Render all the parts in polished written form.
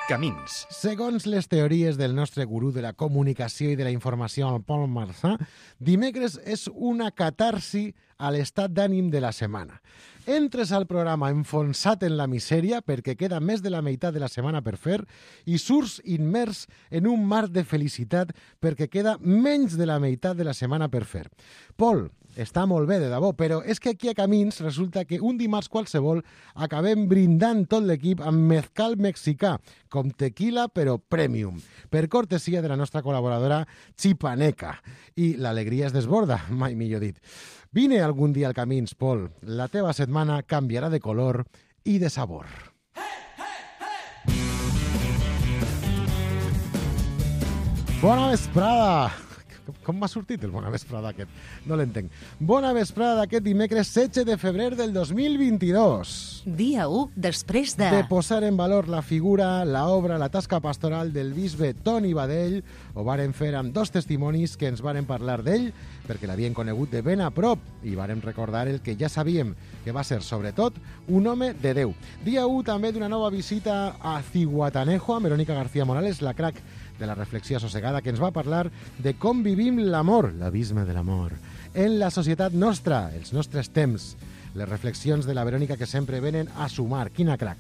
Camins. Segons les teories del nostre gurú de la comunicació i de la informació, el Pol Marçà, dimecres és una catarsi a l'estat d'ànim de la setmana. Entres al programa enfonsat en la misèria perquè queda més de la meitat de la setmana per fer i surts immers en un mar de felicitat perquè queda menys de la meitat de la setmana per fer. Pol, està molt bé, de debò, però és que aquí a Camins resulta que un dimarts qualsevol acabem brindant tot l'equip amb mezcal mexicà, com tequila però premium, per cortesia de la nostra col·laboradora Chipaneca. I l'alegria es desborda, mai millor dit. Vine algun dia al Camins, Pol. La teva setmana canviarà de color i de sabor. Bona vesprada! Com m'ha sortit el bona vesprada aquest? No l'entenc. Bona vesprada d'aquest dimecres 16 de febrer del 2022. Dia 1 després de posar en valor la figura, la obra, la tasca pastoral del bisbe Toni Badell. Ho varen fer amb dos testimonis que ens varen parlar d'ell, perquè l'havien conegut de ben a prop i varen recordar el que ja sabíem, que va ser, sobretot, un home de Déu. Dia 1 també d'una nova visita a Zihuatanejo, amb Verónica García Morales, la crac de la reflexió assossegada, que ens va parlar de com vivim l'amor, l'abisme de l'amor, en la societat nostra, els nostres temps. Les reflexions de la Verònica que sempre venen a sumar. Quina crac.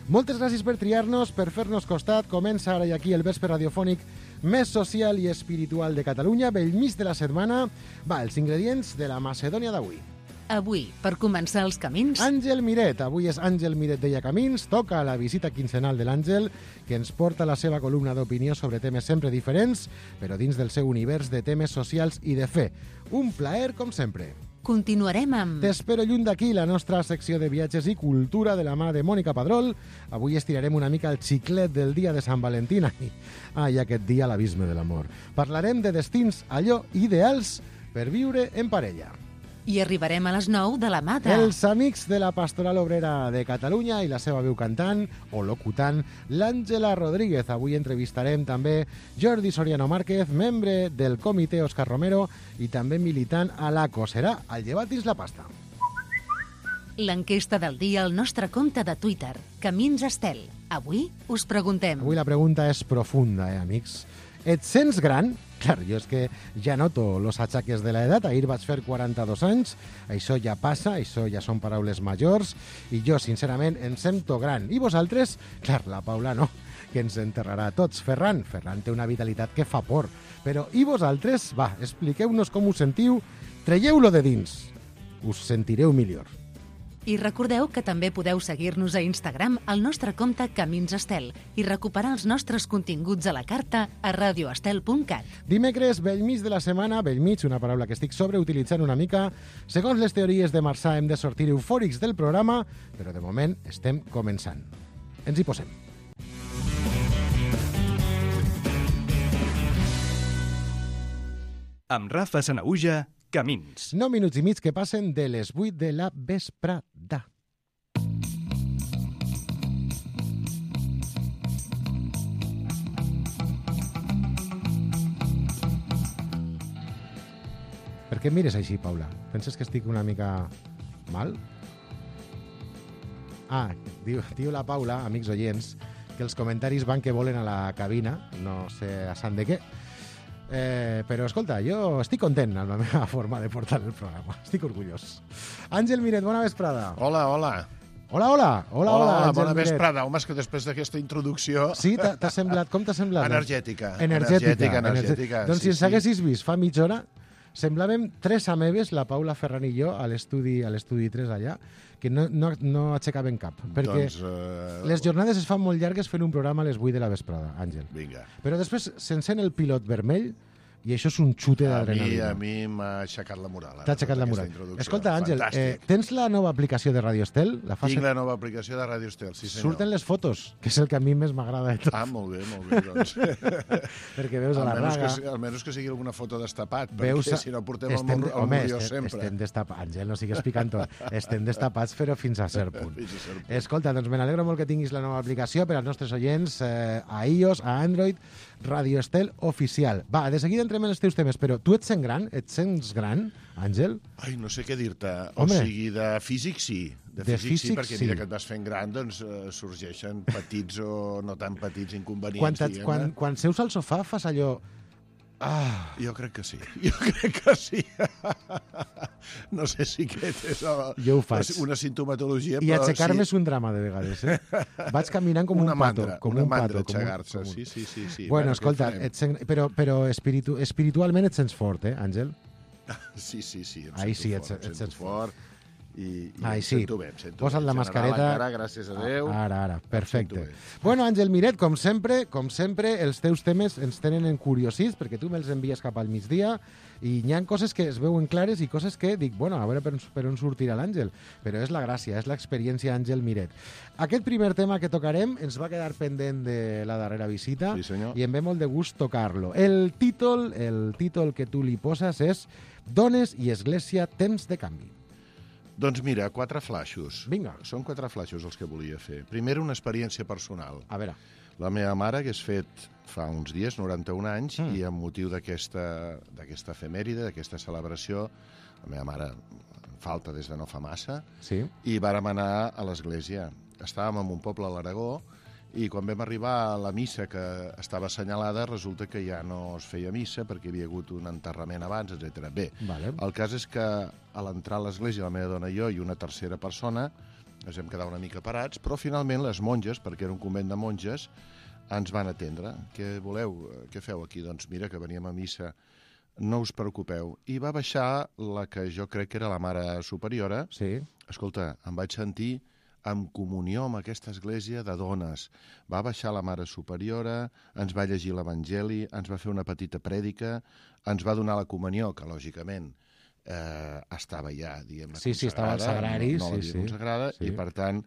Moltes gràcies per triar-nos, per fer-nos costat. Comença ara i aquí el vespre radiofònic més social i espiritual de Catalunya, bell mig de la setmana. Va, els ingredients de la Macedònia d'avui. Avui, per començar els camins, Àngel Miret. Avui és Àngel Miret deia Camins. Toca la visita quinzenal de l'Àngel, que ens porta la seva columna d'opinió sobre temes sempre diferents, però dins del seu univers de temes socials i de fe. Un plaer, com sempre. continuarem amb T'espero lluny d'aquí, la nostra secció de viatges i cultura de la mà de Mònica Padrol. Avui estirarem una mica el xiclet del dia de Sant Valentí. I aquest dia l'abisme de l'amor. Parlarem de destins allò ideals per viure en parella. i arribarem a les 9 de la mà de Els amics de la Pastoral Obrera de Catalunya i la seva veu cantant o locutant, l'Àngela Rodríguez. Avui entrevistarem també Jordi Soriano Márquez, membre del comitè Òscar Romero i també militant a l'ACO. Serà al Llevat dins la pasta. l'enquesta del dia al nostre compte de Twitter, Camins Estel. Avui us preguntem Avui la pregunta és profunda, amics. Et sents gran? Clar, jo és que ja noto los achaques de l'edat. Ahir vaig fer 42 anys, això ja passa, això ja són paraules majors, i jo, sincerament, em sento gran. I vosaltres? Clar, la Paula no, que ens enterrarà a tots. Ferran té una vitalitat que fa por. Però i vosaltres? Va, expliqueu-nos com us sentiu, traieu-lo de dins. Us sentireu millor. I recordeu que també podeu seguir-nos a Instagram al nostre compte Camins Estel i recuperar els nostres continguts a la carta a radioestel.cat. Dimecres, bell mig de la setmana, bell mig, una paraula que estic sobreutilitzant una mica. Segons les teories de Marçà, hem de sortir eufòrics del programa, però de moment estem començant. Ens hi posem. Amb Rafa Sanaüja, Camins. 9 minuts i mig que passen de les 8 de la vesprada. Per què em mires així, Paula? Penses que estic una mica mal? Diu la Paula, amics oients, que els comentaris van que volen a la cabina, no sé a sant de què. Però, escolta, jo estic content amb la meva forma de portar el programa. Estic orgullós. Àngel Miret, bona vesprada. Hola. Hola, Àngel Bona Miret. vesprada. Home, és que després d'aquesta introducció... Sí, t'ha semblat? Com t'ha semblat? Energètica. Doncs si ens sí. haguessis vist fa mitja hora, semblàvem tres ameves, la Paula Ferran i jo, a l'estudi 3 allà, que no aixecaven cap. Perquè les jornades es fan molt llargues fent un programa a les 8 de la vesprada, Àngel. Vinga. Però després s'encén el pilot vermell i això és un xute d'adrenalina. A mi m'ha aixecat la moral. T'ha aixecat la moral. Escolta, Àngel, Fantàstic. tens la nova aplicació de Radio Estel? Tinc la nova aplicació de Radio Estel, sí senyor. Surten les fotos, que és el que a mi més m'agrada de tot. Molt bé, doncs. Perquè veus a la Raga... Almenys que sigui alguna foto destapat, Veus, perquè si no portem el murió sempre. Estem destapats, Àngel, no sigues picant tot. Estem destapats, però fins a cert punt. Escolta, doncs me n'alegro molt que tinguis la nova aplicació per als nostres oients a iOS, a Android, Radio Estel Oficial. Va, de seguida entrem en els teus temes, però tu et sents gran? Et sents gran, Àngel? Ai, no sé què dir-te. Home. O sigui, de físic sí. De físic sí, perquè mira que et vas fent gran, doncs sorgeixen petits o no tan petits inconvenients, diguem-ne. Quan seus al sofà fas allò... Ah. Jo crec que sí. Jo crec que sí. No sé si aquest és jo ho faig. Una sintomatologia, I aixecar-me és un drama, de vegades. Vaig caminant com un pato. Una mandra, aixecar-se. Sí. Bueno, escolta, però espiritualment et sents fort, Àngel? Sí. Ai, sí, et sents fort. I ai, em sí. sento bé. Posa't la mascareta. Encara, gràcies a Déu. Ara, perfecte. Bueno, Àngel Miret, com sempre, els teus temes ens tenen encuriosits, perquè tu me'ls envies cap al migdia, i hi ha coses que es veuen clares i coses que dic, bueno, a veure per on sortirà l'Àngel. Però és la gràcia, és l'experiència Àngel Miret. Aquest primer tema que tocarem ens va quedar pendent de la darrera visita, sí, senyor. I em ve molt de gust tocar-lo. El títol que tu li poses és Dones i Església, temps de canvi. Doncs mira, 4 flaixos. Vinga. Són 4 flaixos els que volia fer. Primer, una experiència personal. A veure. La meva mare hagués fet fa uns dies, 91 anys, i amb motiu d'aquesta efemèride, d'aquesta celebració, la meva mare falta des de no fa massa, sí. I vàrem anar a l'església. Estàvem en un poble a l'Aragó, i quan vam arribar a la missa que estava assenyalada, resulta que ja no es feia missa perquè hi havia hagut un enterrament abans, etc. Bé, vale. El cas és que a l'entrar a l'església, la meva dona i jo i una tercera persona, ens vam quedar una mica parats, però finalment les monges, perquè era un convent de monges, ens van atendre. Què voleu? Què feu aquí? Doncs mira, que veníem a missa. No us preocupeu. I va baixar la que jo crec que era la mare superiora. Sí. Escolta, em vaig sentir en comunió amb aquesta església de dones. Va baixar la mare superiora, ens va llegir l'Evangeli, ens va fer una petita prèdica, ens va donar la comunió, que lògicament estava ja, diguem-ne, sí, estava al sagrari, no l'havia consagrada, i per tant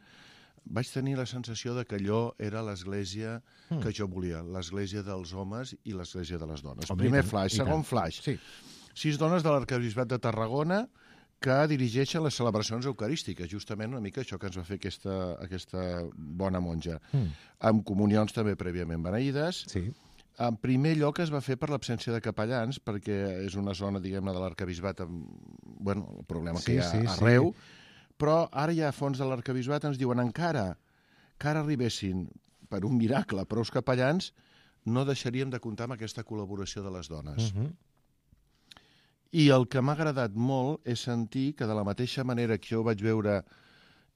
vaig tenir la sensació de que allò era l'església que jo volia, l'església dels homes i l'església de les dones. Primer flaix. Segon flaix. Sí. 6 dones de l'Arquebisbat de Tarragona que dirigeixen les celebracions eucarístiques, justament una mica això que ens va fer aquesta bona monja. Amb comunions també prèviament beneïdes. Sí. En primer lloc es va fer per l'absència de capellans, perquè és una zona, diguem-ne, de l'Arquebisbat amb, bueno, el problema que hi ha arreu, però ara ja a fons de l'Arquebisbat ens diuen encara que ara arribessin per un miracle prous capellans, no deixaríem de comptar amb aquesta col·laboració de les dones. I el que m'ha agradat molt és sentir que de la mateixa manera que jo ho vaig veure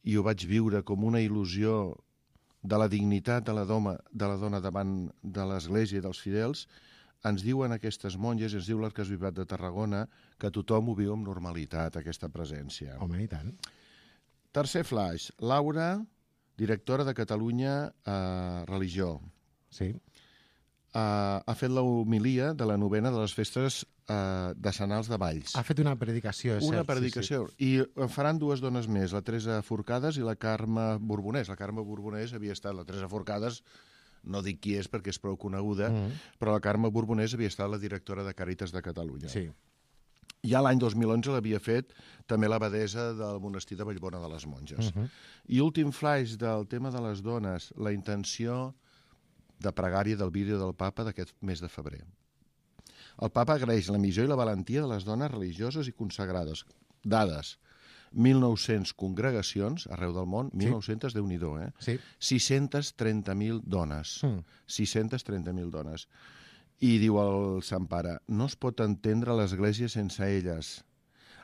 i ho vaig viure com una il·lusió de la dignitat de la dona davant de l'Església i dels fidels, ens diuen aquestes monges, ens diu l'Arquebisbat de Tarragona, que tothom ho viu amb normalitat, aquesta presència. Home, i tant. Tercer flaix. Laura, directora de Catalunya Religió. Sí. Ha fet l'homilia de la novena de les festes decenals de Valls. Ha fet una predicació, és cert. Una predicació. Sí. I en faran 2 dones més, la Teresa Forcades i la Carme Borbonès. La Carme Borbonès havia estat, la Teresa Forcades, no dic qui és perquè és prou coneguda, però la Carme Borbonès havia estat la directora de Càritas de Catalunya. Sí. Ja l'any 2011 l'havia fet també l'abadesa del monestir de Vallbona de les Monges. I últim flaix del tema de les dones, la intenció de pregària del vídeo del papa d'aquest mes de febrer. El papa agraeix la missió i la valentia de les dones religioses i consagrades. Dades. 1.900 congregacions arreu del món, 1.900, Déu-n'hi-do, Sí. 630.000 dones. 630.000 dones. I diu el Sant Pare, no es pot entendre l'Església sense elles.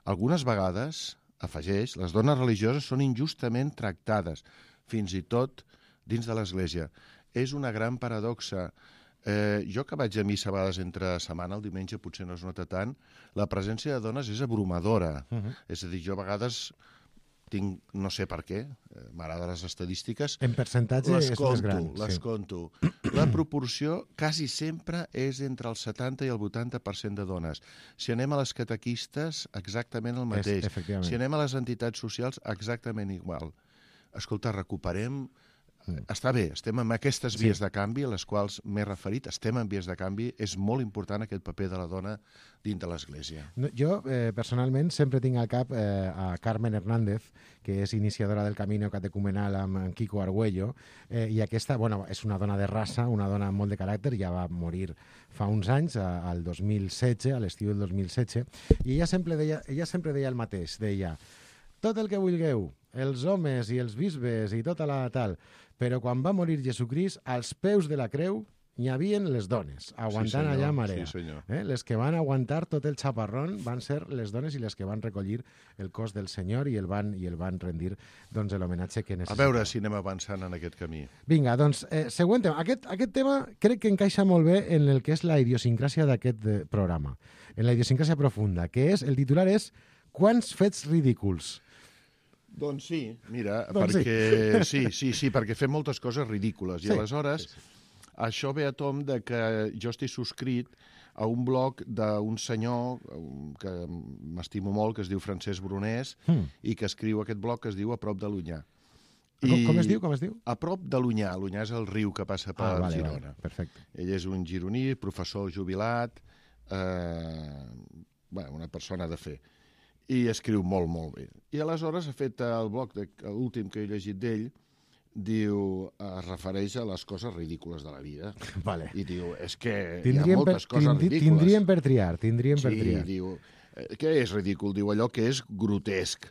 Algunes vegades, afegeix, les dones religioses són injustament tractades, fins i tot dins de l'Església. És una gran paradoxa. Jo que vaig a missa a vegades entre setmana, el diumenge potser no es nota tant, la presència de dones és abrumadora. És a dir, jo a vegades tinc, no sé per què, m'agraden les estadístiques. En percentatge és més gran. Les conto. La proporció quasi sempre és entre el 70 i el 80% de dones. Si anem a les catequistes, exactament el mateix. Si anem a les entitats socials, exactament igual. Escolta, recuperem està bé, estem en aquestes vies de canvi, a les quals m'he referit, estem en vies de canvi, és molt important aquest paper de la dona dins de l'Església. Jo, personalment, sempre tinc al cap a Carmen Hernández, que és iniciadora del Camino Catecumenal amb Kiko Argüello, i aquesta, bueno, és una dona de raça, una dona amb molt de caràcter, ja va morir fa uns anys, al 2016, a l'estiu del 2016, i ella sempre deia el mateix, deia: tot el que vulgueu, els homes i els bisbes i tota la tal, però quan va morir Jesucrist, als peus de la creu hi havien les dones, aguantant allà a marea. Sí, senyor. Les que van aguantar tot el xaparrón van ser les dones i les que van recollir el cos del Senyor i el van rendir l'homenatge que necessitava. A veure si anem avançant en aquest camí. Vinga, doncs, següent tema. Aquest tema crec que encaixa molt bé en el que és la idiosincràsia d'aquest programa, en la idiosincràsia profunda, que és, el titular és Quants fets ridículs? Doncs sí, mira, perquè perquè fem moltes coses ridícules, i aleshores això ve a tom de que jo estic subscrit a un blog d'un senyor que m'estimo molt, que es diu Francesc Brunès, i que escriu aquest blog que es diu A prop de l'Onyar. Com es diu? A prop de l'Onyar. L'Onyar és el riu que passa per Girona. Perfecte. Ell és un gironí, professor jubilat, una persona de fe. I escriu molt, molt bé. I aleshores ha fet el blog, l'últim que he llegit d'ell, es refereix a les coses ridícules de la vida. Vale. I diu, és que hi ha moltes coses ridícules. Tindríem per triar. Sí, diu, què és ridícul? Diu allò que és grotesc.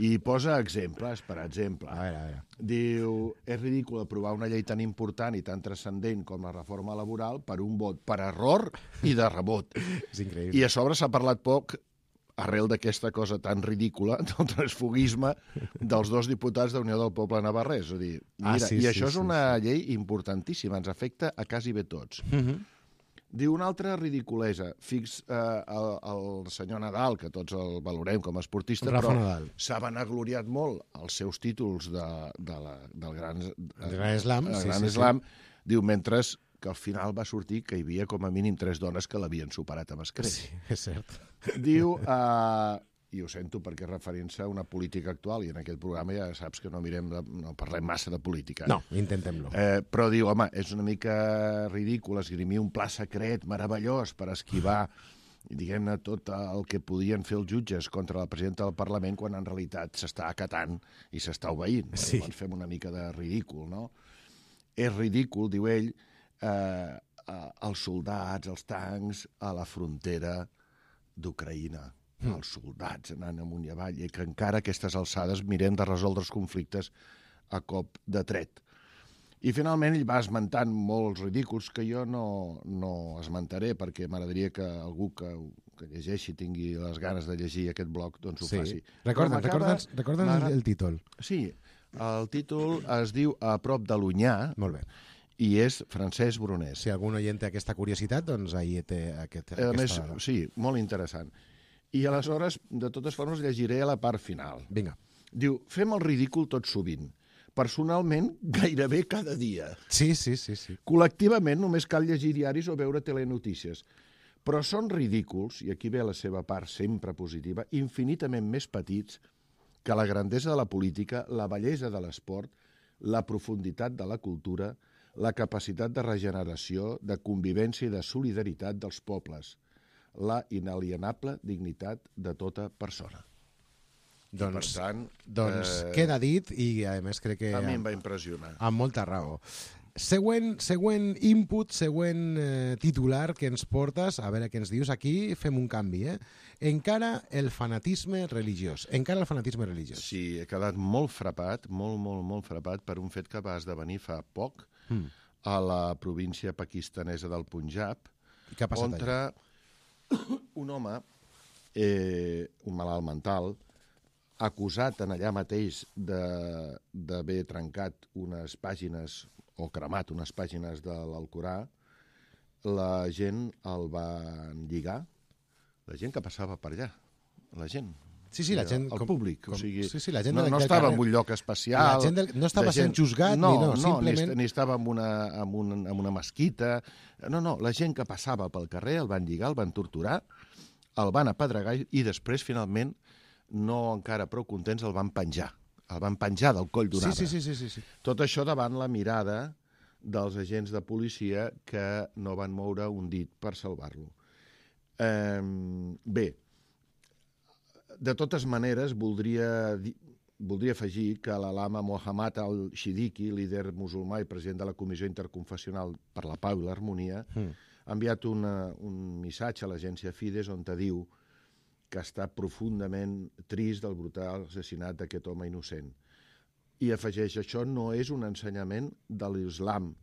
I posa exemples, per exemple. A veure. Diu, és ridícul aprovar una llei tan important i tan transcendent com la reforma laboral per un vot per error i de rebot. És increïble. I a sobre s'ha parlat poc, arrel d'aquesta cosa tan ridícula, del transfugisme dels dos diputats d'Unió del Poble Navarrès. És a dir, mira, i això és una llei importantíssima, ens afecta a quasi bé tots. Diu una altra ridiculesa. El senyor Nadal, que tots el valorem com a esportista, Rafa però Nadal s'ha benagloriat molt els seus títols del Gran Slam. Diu, mentre que al final va sortir que hi havia com a mínim 3 dones que l'havien superat amb escreix. Sí, és cert. Diu, i ho sento perquè és referint-se a una política actual, i en aquest programa ja saps que no parlem massa de política. No, intentem-lo. Però diu, home, és una mica ridícul esgrimir un pla secret meravellós per esquivar, diguem-ne, tot el que podien fer els jutges contra la presidenta del Parlament, quan en realitat s'està acatant i s'està obeint. Sí. Llavors fem una mica de ridícul, no? És ridícul, diu ell, els soldats, els tancs a la frontera d'Ucraïna, els soldats anant amunt i avall, i que encara a aquestes alçades mirem de resoldre els conflictes a cop de tret. I finalment ell va esmentant molts ridículs que jo no esmentaré, perquè m'agradaria que algú que llegeixi, tingui les ganes de llegir aquest blog, doncs ho faci. Recorda'ns el títol. Sí, el títol es diu A prop de l'Onyar. Molt bé. I és Francesc Brunès. Si algun oient té aquesta curiositat, doncs ahí té aquesta... A més, sí, molt interessant. I aleshores, de totes formes, llegiré a la part final. Vinga. Diu, fem el ridícul tot sovint. Personalment, gairebé cada dia. Sí. Col·lectivament, només cal llegir diaris o veure telenotícies. Però són ridículs, i aquí ve la seva part sempre positiva, infinitament més petits que la grandesa de la política, la bellesa de l'esport, la profunditat de la cultura, la capacitat de regeneració, de convivència i de solidaritat dels pobles, la inalienable dignitat de tota persona. Doncs, per tant, queda dit i, a més, crec que... A mi em va impressionar. Amb molta raó. Següent input, següent titular que ens portes, a veure què ens dius. Aquí fem un canvi, Encara el fanatisme religiós. Sí, he quedat molt frapat, molt frapat per un fet que va esdevenir fa poc a la província pakistanesa del Punjab, on un home, un malalt mental, acusat en allà mateix d'haver trencat unes pàgines o cremat unes pàgines de l'Alcorà, la gent el va lligar, la gent que passava per allà, la gent. Sí, la gent... El públic, o sigui, la gent no estava en un lloc especial. La gent no estava sent juzgat, simplement... ni estava en una mesquita. No, la gent que passava pel carrer el van lligar, el van torturar, el van apedregar i després, finalment, no encara prou contents, el van penjar el van penjar del coll d'un arbre. Sí. Tot això davant la mirada dels agents de policia que no van moure un dit per salvar-lo. Bé, de totes maneres, voldria afegir que l'Alama Mohammad al-Shidiki, líder musulmà i president de la Comissió Interconfessional per la Pau i l'Harmonia, ha enviat un missatge a l'agència Fides on diu que està profundament trist del brutal assassinat d'aquest home innocent. I afegeix, això no és un ensenyament de l'islam,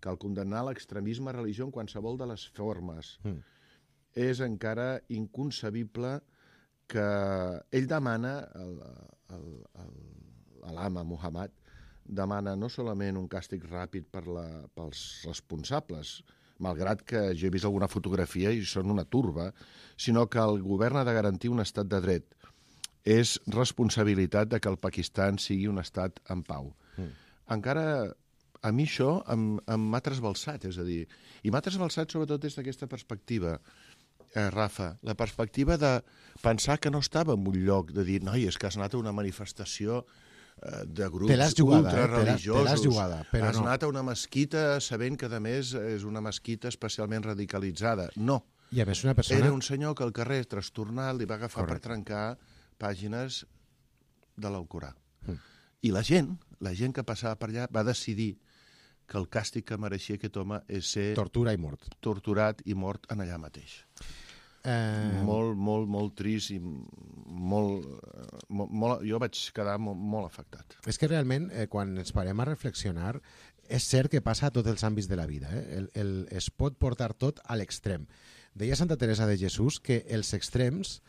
cal condemnar l'extremisme religiós en qualsevol de les formes. És encara inconcebible que ell demana, l'Alama Muhammad, demana no solament un càstig ràpid pels responsables, malgrat que jo he vist alguna fotografia i són una turba, sinó que el govern ha de garantir un estat de dret. És responsabilitat de que el Pakistan sigui un estat en pau. Encara, a mi això m'ha trasbalsat, és a dir, i m'ha trasbalsat sobretot des d'aquesta perspectiva, Rafa, la perspectiva de pensar que no estava en un lloc de dir, noi, és que has anat a una manifestació de grups ultrareligiosos. Te l'has jugada, però has anat a una mesquita sabent que, a més, és una mesquita especialment radicalitzada. No. I a més una persona... Era un senyor que al carrer trastornat li va agafar per trencar pàgines de l'Alcorà. I la gent que passava per allà va decidir que el càstig que mereixia aquest home és ser... Tortura i mort. Torturat i mort en allà mateix. Molt trist i molt... Jo vaig quedar molt afectat. És que realment, quan ens parem a reflexionar, és cert que passa a tots els àmbits de la vida. Es pot portar tot a l'extrem. Deia Santa Teresa de Jesús que els extrems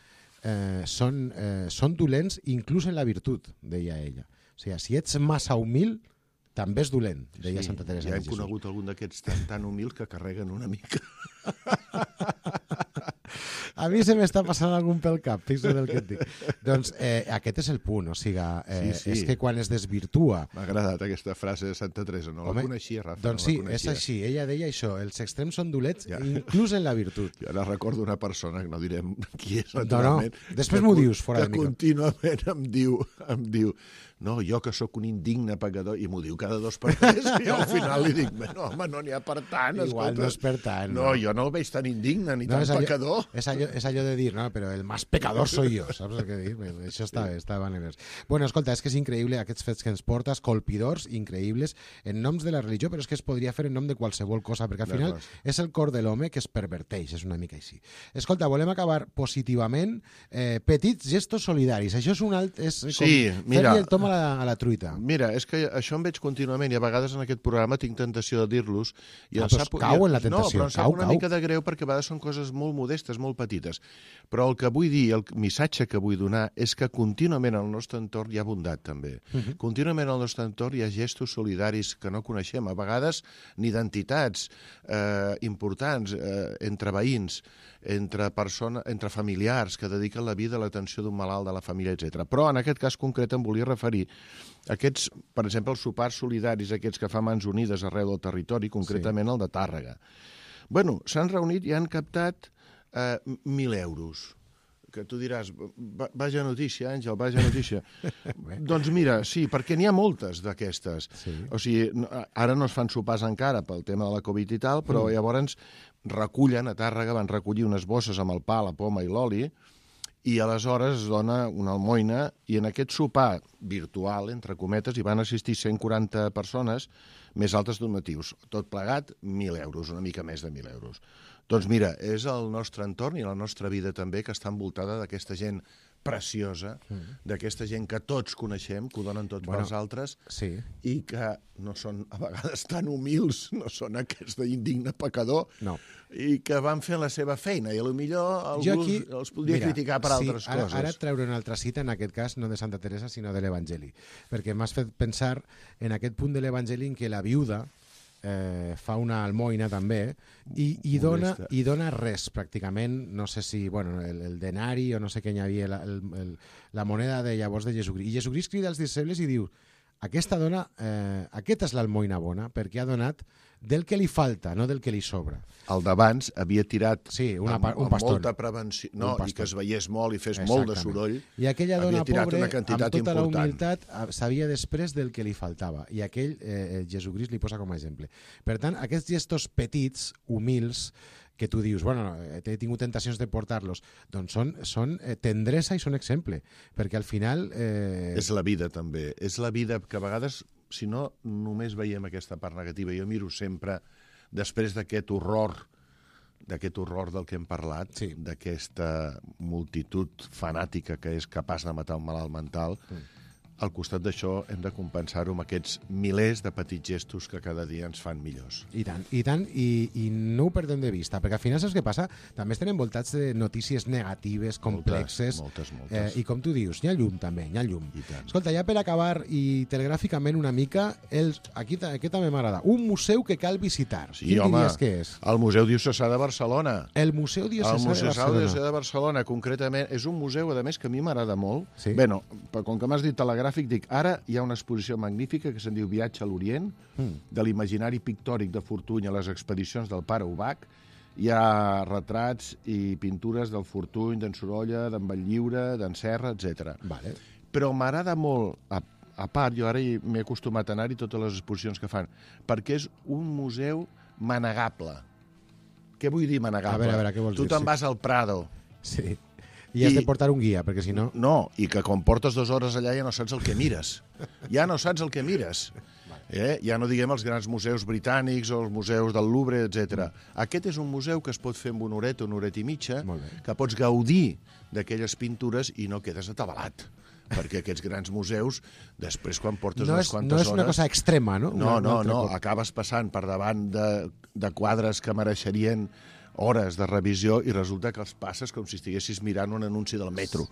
són dolents inclús en la virtut, deia ella. O sigui, si ets massa humil, també és dolent, deia Santa Teresa de Jesús. Ja hem conegut algun d'aquests tan humils que carreguen una mica. A mi se m'està passant algun pel cap, fixa't el que et dic. Doncs aquest és el punt, o sigui, és que quan es desvirtua... M'ha agradat aquesta frase de Santa Teresa, no la coneixia, Rafa. Doncs sí, és així, ella deia això, els extrems són dolents, inclús en la virtut. Jo ara recordo una persona, que no direm qui és, naturalment... No, després m'ho dius, fora de micro. Que contínuament em diu no, jo que sóc un indigne pecador, i m'ho diu cada 2 per 3, i al final li dic, no, home, no n'hi ha per tant. Igual no és per tant. No, jo no el veig tan indigne ni tan pecador. És allò de dir, no, però el más pecador soy yo, saps el que dic? Això està bé. Bueno, escolta, és que és increïble aquests fets que ens portes, colpidors, increïbles, en noms de la religió, però és que es podria fer en nom de qualsevol cosa, perquè al final és el cor de l'home que es perverteix, és una mica així. Escolta, volem acabar positivament, petits gestos solidaris. Això és un alt... Sí, mira... Fer-li el tom a la truita. Mira, és que això em veig contínuament i a vegades en aquest programa tinc tentació de dir-los. Cau en la tentació. No, però em sap una mica de greu perquè a vegades són coses molt modestes, molt petites. Però el que vull dir, el missatge que vull donar és que contínuament al nostre entorn hi ha bondat, també. Contínuament al nostre entorn hi ha gestos solidaris que no coneixem, a vegades ni d'entitats importants, entre veïns, entre familiars que dediquen la vida a l'atenció d'un malalt de la família, etc. Però en aquest cas concret em volia referir a aquests, per exemple, els sopars solidaris, aquests que fa Mans Unides arreu del territori, concretament el de Tàrrega. Bueno, s'han reunit i han captat 1.000 euros. Que tu diràs, vaja notícia, Àngel, vaja notícia. Doncs mira, sí, perquè n'hi ha moltes d'aquestes. O sigui, ara no es fan sopars encara pel tema de la Covid i tal, però llavors recullen, a Tàrrega van recollir unes bosses amb el pa, la poma i l'oli, i aleshores es dona una almoina, i en aquest sopar virtual, entre cometes, hi van assistir 140 persones, més altres donatius. Tot plegat, 1.000 euros, una mica més de 1.000 euros. Doncs mira, és el nostre entorn i la nostra vida també que està envoltada d'aquesta gent preciosa, d'aquesta gent que tots coneixem, que ho donen tots pels altres, i que no són a vegades tan humils, no són aquests d'indigne pecador, i que van fer la seva feina, i potser algú els podria criticar per altres coses. Ara et treuré una altra cita, en aquest cas no de Santa Teresa, sinó de l'Evangeli, perquè m'has fet pensar en aquest punt de l'Evangeli en què la viuda fa una almoina també i dona res pràcticament, no sé si el denari o no sé què hi havia, la moneda de llavors de Jesucrist, i Jesucrist crida als disciples i diu, aquesta dona, aquesta és l'almoina bona perquè ha donat del que li falta, no del que li sobra. El d'abans havia tirat un pastor. Molta prevenció, i que es veiés molt i fes molt de soroll. I aquella dona pobra, amb tota la important. humilitat, sabia després del que li faltava. I aquell, Jesucrist li posa com a exemple. Per tant, aquests gestos petits, humils, que tu dius, bueno, he tingut tentacions de portar-los, doncs són tendresa i són exemple, perquè al final... És la vida, també. És la vida que a vegades, si no, només veiem aquesta part negativa. Jo miro sempre, després d'aquest horror del que hem parlat, d'aquesta multitud fanàtica que és capaç de matar un malalt mental, al costat d'això hem de compensar-ho amb aquests milers de petits gestos que cada dia ens fan millors. I tant, i no ho perdem de vista, perquè al final saps què passa? També estem envoltats de notícies negatives, complexes, moltes. I com tu dius, hi ha llum també, hi ha llum. Escolta, ja per acabar i telegràficament una mica, aquí també m'agrada, un museu que cal visitar. Sí, home, el Museu Diocesà de Barcelona. El Museu Diocesà de Barcelona, concretament, és un museu, a més, que a mi m'agrada molt. Bé, com que m'has dit telegràfic, dic, ara hi ha una exposició magnífica que se'n diu Viatge a l'Orient, de l'imaginari pictòric de Fortuny a les expedicions del pare Ubach. Hi ha retrats i pintures del Fortuny, d'en Sorolla, d'en Batllliure, d'en Serra, etc. Però m'agrada molt, a part, jo ara m'he acostumat a anar-hi totes les exposicions que fan, perquè és un museu manegable. Què vull dir manegable? A veure, què vols dir? Tu te'n vas al Prado. Sí. I has de portar un guia, perquè si no... No, i que quan portes 2 hores allà ja no saps el que mires. Ja no saps el que mires. Ja no diguem els grans museus britànics o els museus del Louvre, etc. Aquest és un museu que es pot fer en una horeta i mitja, que pots gaudir d'aquelles pintures i no quedes atabalat. Perquè aquests grans museus, després quan portes unes quantes hores... No és una cosa extrema, no? No, acabes passant per davant de quadres que mereixerien hores de revisió i resulta que els passes com si estiguessis mirant un anunci del metro,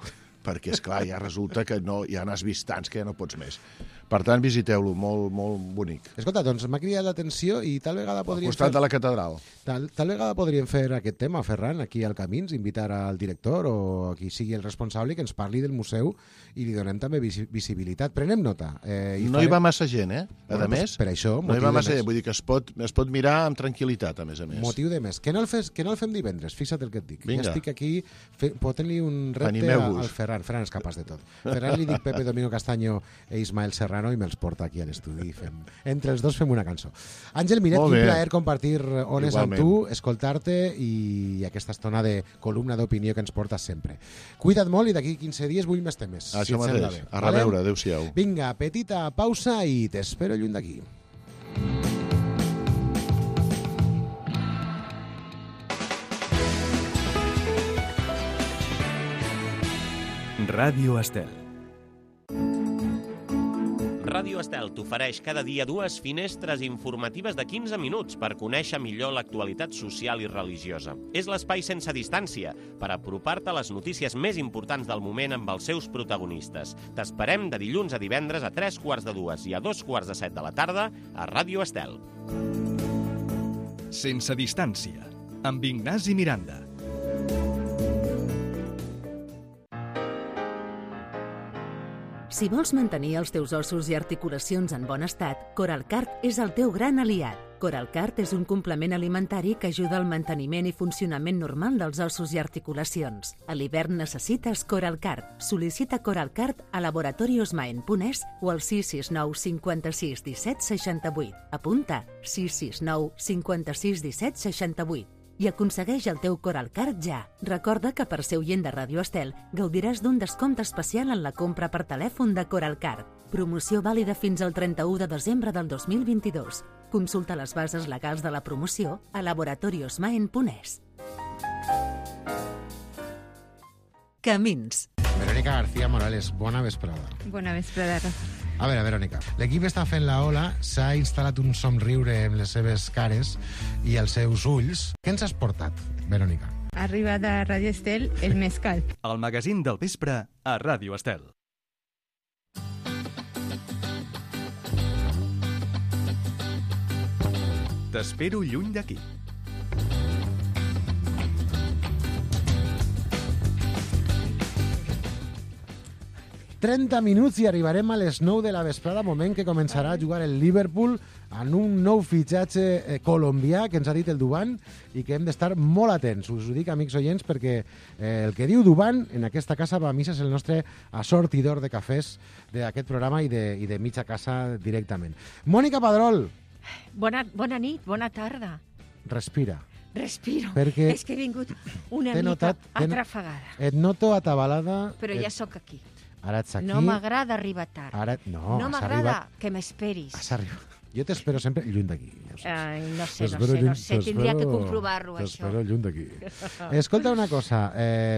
perquè, esclar, ja resulta que ja n'has vist tants que ja no pots més. Per tant, visiteu-lo, molt, molt bonic. Escolta, doncs m'ha cridat l'atenció i tal vegada podríem al costat de la catedral. Tal vegada podríem fer aquest tema, Ferran, aquí al Camins, invitar al director o a qui sigui el responsable que ens parli del museu i li donem també visibilitat. Prenem nota. No hi va massa gent, A més, per això, no hi va massa gent, vull dir que es pot mirar amb tranquil·litat, a més. Motiu de més. Que no el fem divendres, fixa't el que et dic. Vinga. Ja estic aquí fotent-li un repte al Ferran. Ferran és capaç de tot. Ferran li dic Pepe Domingo Castaño e Ismael Serrano i me'ls porta aquí a l'estudi. Entre els dos fem una cançó. Àngel Miret, quin plaer compartir ones amb tu, escoltar-te i aquesta estona de columna d'opinió que ens portes sempre. Cuida't molt i d'aquí 15 dies vull més temes. Això mateix. A reveure, adéu-siau. Vinga, petita pausa i t'espero lluny d'aquí. Ràdio Estel. Ràdio Estel t'ofereix cada dia 2 finestres informatives de 15 minuts per conèixer millor l'actualitat social i religiosa. És l'espai sense distància per apropar-te a les notícies més importants del moment amb els seus protagonistes. T'esperem de dilluns a divendres a 3:45 i a 2:45 de la tarda a Ràdio Estel. Sense distància, amb Ignasi Miranda. Si vols mantenir els teus ossos i articulacions en bon estat, Coralcart és el teu gran aliat. Coralcart és un complement alimentari que ajuda al manteniment i funcionament normal dels ossos i articulacions. A l'hivern necessites Coralcart. Sol·licita Coralcart a laboratoriosmaen.es o al 669 56 17 68. Apunta 669 56 17 68. I aconsegueix el teu Coralcart ja. Recorda que per ser oient de Ràdio Estel gaudiràs d'un descompte especial en la compra per telèfon de Coralcart. Promoció vàlida fins al 31 de desembre del 2022. Consulta les bases legals de la promoció a laboratoriosmaen.es. Camins. Verónica García Morales, bona vesprada. Bona vesprada. A veure, Verónica, l'equip està fent la ola, s'ha instal·lat un somriure en les seves cares i els seus ulls. Què ens has portat, Verónica? Ha arribat a Ràdio Estel el mescal. El magazín del vespre a Ràdio Estel. T'espero lluny d'aquí. 30 minuts i arribarem a les 9 de la vesprada, moment que començarà a jugar el Liverpool en un nou fitxatge colombià que ens ha dit el Duban i que hem d'estar molt atents. Us ho dic, amics oients, perquè el que diu Duban en aquesta casa va a missa és el nostre assortidor de cafès d'aquest programa i de mitja casa directament. Mònica Padrol. Bona nit, bona tarda. Respira. Respiro. Perquè és que he vingut una mica atrafegada. Et noto atabalada. Però ja sóc aquí. Ara ets aquí. No m'agrada arribar tard. No m'agrada que m'esperis. Has arribat. Jo t'espero sempre lluny d'aquí. Ai, no sé. Tindria que comprovar-ho, això. T'espero lluny d'aquí. Escolta una cosa,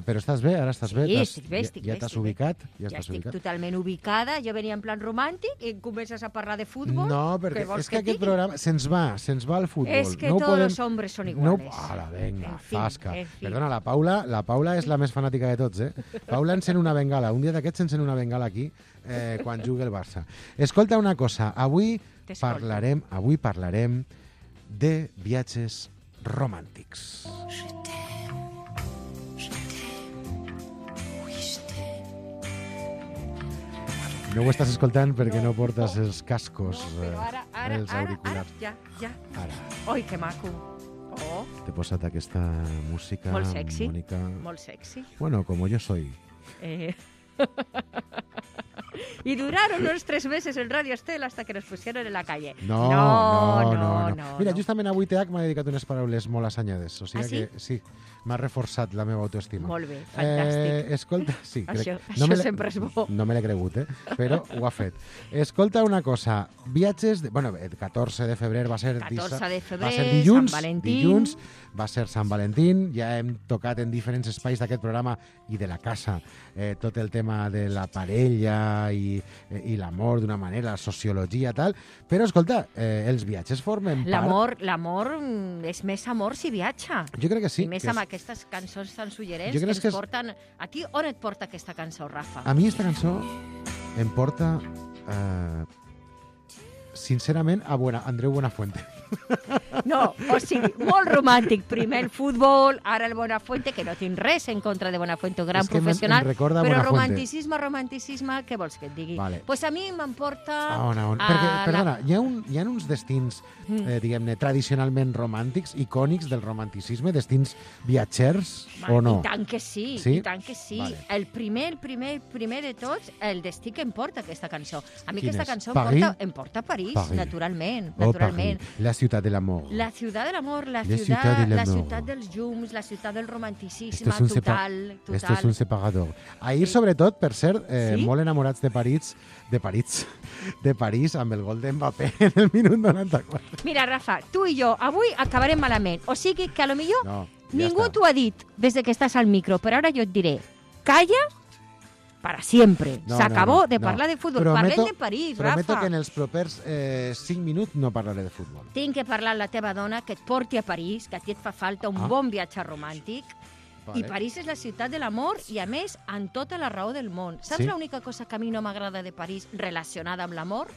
però estàs bé? Ara estàs bé? Sí, estic bé. Ja t'has ubicat? Ja estic totalment ubicada. Jo venia en plan romàntic i comences a parlar de futbol. No, perquè és que aquest programa se'ns va al futbol. És que tots els hombres són iguales. Ara, venga, fasca. Perdona, la Paula és la més fanàtica de tots, Paula encén una bengala. Un dia d'aquests encén una bengala aquí quan jugui el Barça. Escolta una cosa, avui parlarem de viatges romàntics. No ho estàs escoltant perquè no portes els cascos, els auriculars. Ja. Ara. Oi, que maco. Oh. T'he posat aquesta música, molt sexy, Mònica. Molt sexy. Bueno, como yo soy. Y duraron unos 3 meses en Radio Estel hasta que nos pusieron en la calle. No. Mira, justament avui TH m'ha dedicat unes paraules molt assenyades. O sigui que sí, m'ha reforçat la meva autoestima. Molt bé, fantàstic. Escolta, sí. Això sempre és bo. No me l'he cregut, però ho ha fet. Escolta una cosa, viatges... Bueno, el 14 de febrer va ser... 14 de febrer, va ser dilluns, Sant Valentín. Dilluns va ser Sant Valentín. Ja hem tocat en diferents espais d'aquest programa i de la casa tot el tema de la parella i l'amor d'una manera, la sociologia, tal. Però, escolta, els viatges formen part... L'amor és més amor si viatja. Jo crec que sí. I més amb aquestes cançons tan suggerents que ens porten... A ti on et porta aquesta cançó, Rafa? A mi aquesta cançó em porta, sincerament, a Andreu Buenafuente. No, o sigui, molt romàntic. Primer el futbol, ara el Buenafuente, que no tinc res en contra de Buenafuente, un gran professional, però romanticisme, què vols que et digui? Vale. Pues a mi m'emporta... Perquè, perdona, hi ha uns destins, diguem-ne, tradicionalment romàntics, icònics del romanticisme, destins viatgers, o no? I tant que sí, sí? I tant que sí. Vale. El primer de tots, el destí que em porta aquesta cançó. A mi aquesta cançó em porta a París, naturalment. La ciutat de l'amor. La ciutat de l'amor, la ciutat dels llums, la ciutat del romanticisme total. Esto es un separador. Ahir, sobretot, per cert, molt enamorats de París amb el gol d'Mbappé en el minut 94. Mira, Rafa, tu i jo avui acabarem malament. O sigui que a lo millor ningú t'ho ha dit des que estàs al micro, però ara jo et diré, calla para siempre. S'acabó de parlar de futbol. Parlem de París, Rafa. Prometo que en els propers 5 minuts no parlaré de futbol. Tinc que parlar amb la teva dona, que et porti a París, que a ti et fa falta un bon viatge romàntic. Vale. I París és la ciutat de l'amor i, a més, amb tota la raó del món. Saps l'única cosa que a mi no m'agrada de París relacionada amb l'amor?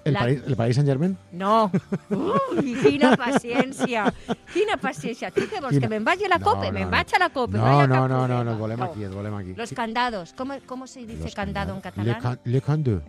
El Paris Saint-Germain? No. Ui, quina paciència. Quina paciència. Tu què vols, que me'n vagi a la COPE? Me'n vaig a la COPE. No, volem aquí. Los candados. ¿Cómo se dice candado en catalán? Le candau.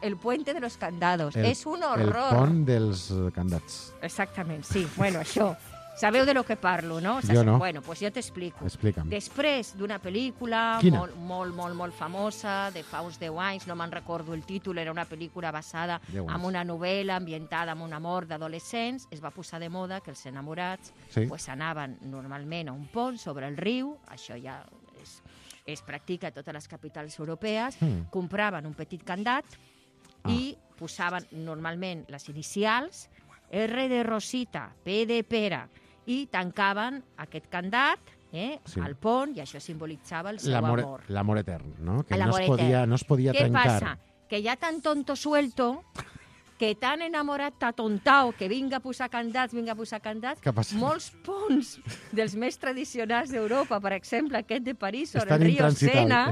El puente de los candados. És un horror. El pont dels candats. Exactament, sí. Bueno, això. Sabeu de lo que parlo, no? Jo no. Bueno, pues jo t'explico. Explica'm. Després d'una pel·lícula molt famosa, de fa uns 10 anys, no me'n recordo el títol, era una pel·lícula basada en una novel·la ambientada en un amor d'adolescents, es va posar de moda que els enamorats pues anaven normalment a un pont sobre el riu, això ja es practica a totes les capitals europees, compraven un petit candat i posaven normalment les inicials, R de Rosita, P de Pere, i tancaven aquest candat al pont, i això simbolitzava el seu amor. L'amor etern, no? Que no es podia trencar. Què passa? Que hi ha tan tonto suelto, que tan enamorat, tan tontau, que vinga a posar candats, molts ponts dels més tradicionals d'Europa, per exemple, aquest de París, sobre el riu Sena,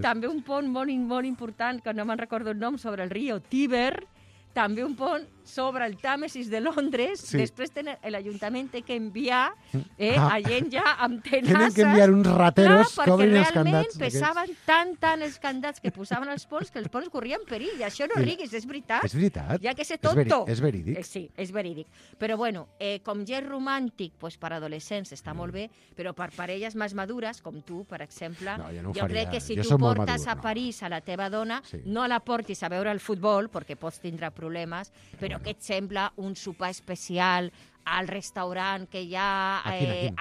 també un pont molt important, que no me'n recordo el nom, sobre el riu Tíber, també un pont sobre el Tàmesis de Londres, després l'Ajuntament té que enviar a gent ja amb tenasses. Tenen que enviar uns rateros que obrin els candats. Perquè realment pesaven tant els candats que posaven els ponts que els ponts corrien perill. I això no riguis, és veritat. És veritat. Ja que sé tonto. És verídic. Sí, és verídic. Però bueno, com ja és romàntic, pues, per adolescents està molt bé, però per parelles més madures, com tu, per exemple, jo crec que si tu portes a París a la teva dona, no la portis a veure el futbol, perquè pots tindre problemes, però que et sembla un sopar especial al restaurant que hi ha